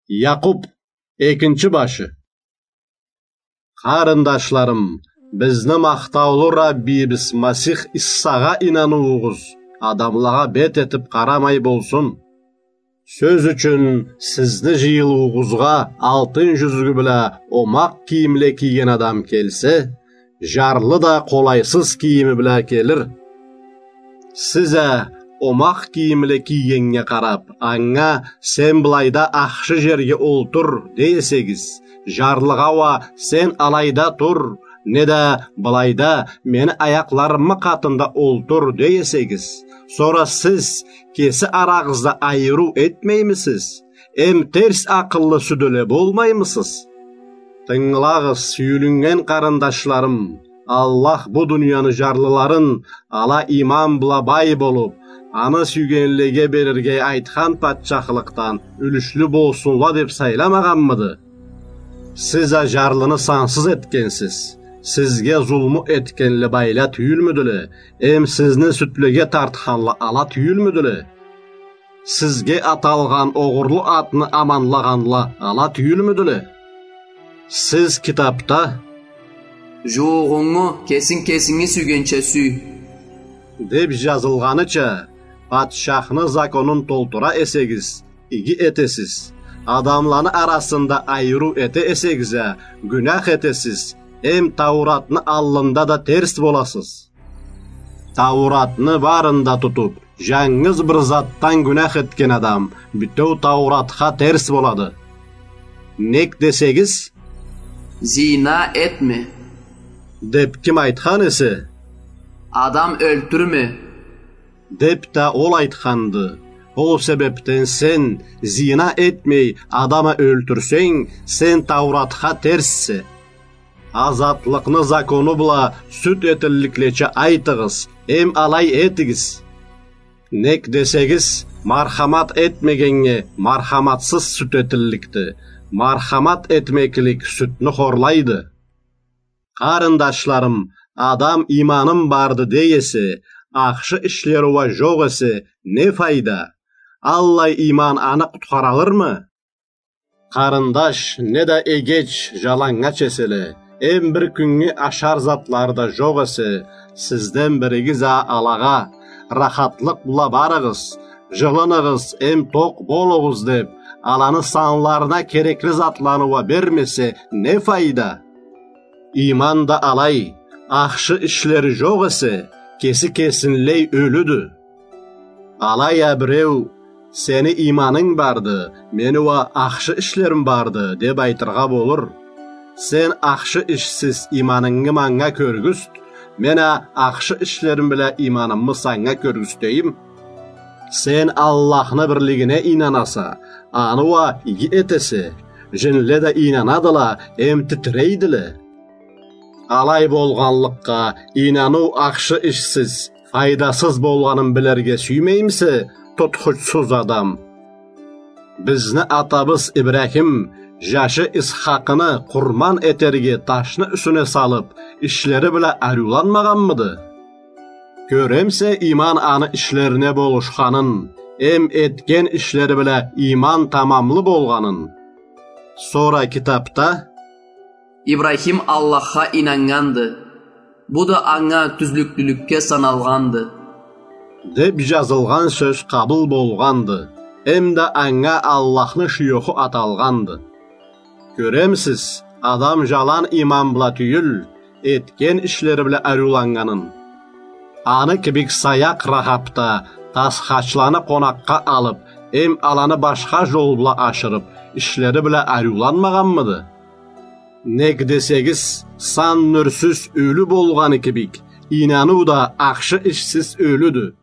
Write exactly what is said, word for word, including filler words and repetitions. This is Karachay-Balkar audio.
Якъуб, экинчи башы. Къарындашларым, бизни махтаулу Раббибиз Масих Иссагъа ийнануугъуз адамлагъа бет этиб къарамай болсун. Сёз ючюн, сизни жыйылыуугъузгъа алтын жюзгю бла омакъ кийимле кийген адам келсе, жарлы да къолайсыз кийими бла келир. Сиз а омакъ кийимле кийгеннге къараб, анга: «Сен былайда ахшы жерге олтур», — дей эсегиз, жарлыгъа уа: «Сен алайда тур», неда: «Былайда, мени аякъларымы къатында олтур», — дей эсегиз, сора сиз кеси арагъызда айырыу этмеймисиз? Эм терс акъыллы сюделе болмаймысыз? Тынгылагъыз, сюйюлюннген къарындашларым, Аллах бу дунияны жарлыларын, ала иман бла бай болуб, аны сюйгенлеге берирге айтхан патчахлыкъдан юлюшлю болсунла деб сайламагъанмыды? Сиз а жарлыны сансыз этгенсиз. Сизге зулму этгенле байла тюйюлмюдюле? Эм сизни сюдлеге тартханла ала тюйюлмюдюле? Сизге аталгъан огъурлу атны аманлагъанла ала тюйюлмюдюле? Сиз китабда: «Жууугъунгу кесинг кесинги сюйгенча сюй», — деб жазылгъаныча, патчахны законун толтура эсегиз, иги этесиз. Адамланы арасында айырыу эте эсегиз а, гюнях этесиз, эм Тауратны аллында да терс боласыз. Тауратны барын да тутуб, жангыз бир затдан гюнях этген адам бютеу Тауратха терс болады. Нек десегиз: «Зина этме», — деб ким айтхан эсе, «Адам ёлтюрме», — деб да ол айтханды. Ол себебден сен, зина этмей, адам а ёлтюрсенг, сен Тауратха терссе. Азатлыкъны закону бла сюд этилликлеча айтыгъыз, эм алай этигиз. Нек десегиз, мархамат этмегеннге мархаматсыз сюд этилликди. Мархамат этмеклик сюдню хорлайды. Къарындашларым, адам иманым барды дей эсе, ахшы ишлери уа жокъ эсе, не файда? Аллай иман аны къутхаралырмы? Къарындаш неда эгеч жаланнгач эселе, эм бир кюннге ашар затлары да жокъ эсе, сизден биригиз а алагъа: «Рахатлыкъ бла барыгъыз, жылыныгъыз эм токъ болугъуз», — деб, аланы санларына керекли затланы уа бермесе, не файда? Иман да алай, ахшы ишлери жокъ эсе, кеси кесинлей ёлюдю. Алай а биреу: «Сени иманынг барды, мени уа ахшы ишлерим барды», — деб айтыргъа болур. Сен ахшы ишсиз иманынгы манга кёргюзт, мен а ахшы ишлерим бла иманымы санга кёргюзтейим. Сен Аллахны бирлигине ийнанаса, аны уа иги этесе, жинле да ийнанадыла эм титирейдиле. Алай болгъанлыкъгъа, ийнаныу ахшы ишсиз, файдасыз болгъанын билирге сюймеймисе, тутхучсуз адам? Бизни атабыз Ибрахим жашы Исхакъны къурман этерге ташны юсюне салып, ишлери бла ариуланмагъанмыды? Кёремисе, иман аны ишлерине болушханын, эм этген ишлери бла иман тамамлы болгъанын. Сора китапда: «Ибрахим Аллахха ийнаннганды. Бу да анга тюзлюклюлюкге саналгъанды», — деп жазылгъан сёз къабыл болгъанды. Эм да анга Аллахны шуёху аталгъанды. Кёремисиз, адам жалан иман бла тюйюл, этген ишлери бла ариуланнганын. Аны кибик саякъ Рахаб да тасхачланы къонакъгъа алып, эм аланы башха жол бла ашырып, ишлери бла ариуланмагъанмыды? Нек десегиз, сан нюрсюз ёлю болгъаны кибик, ийнаныу да ахшы ишсиз ёлюдю.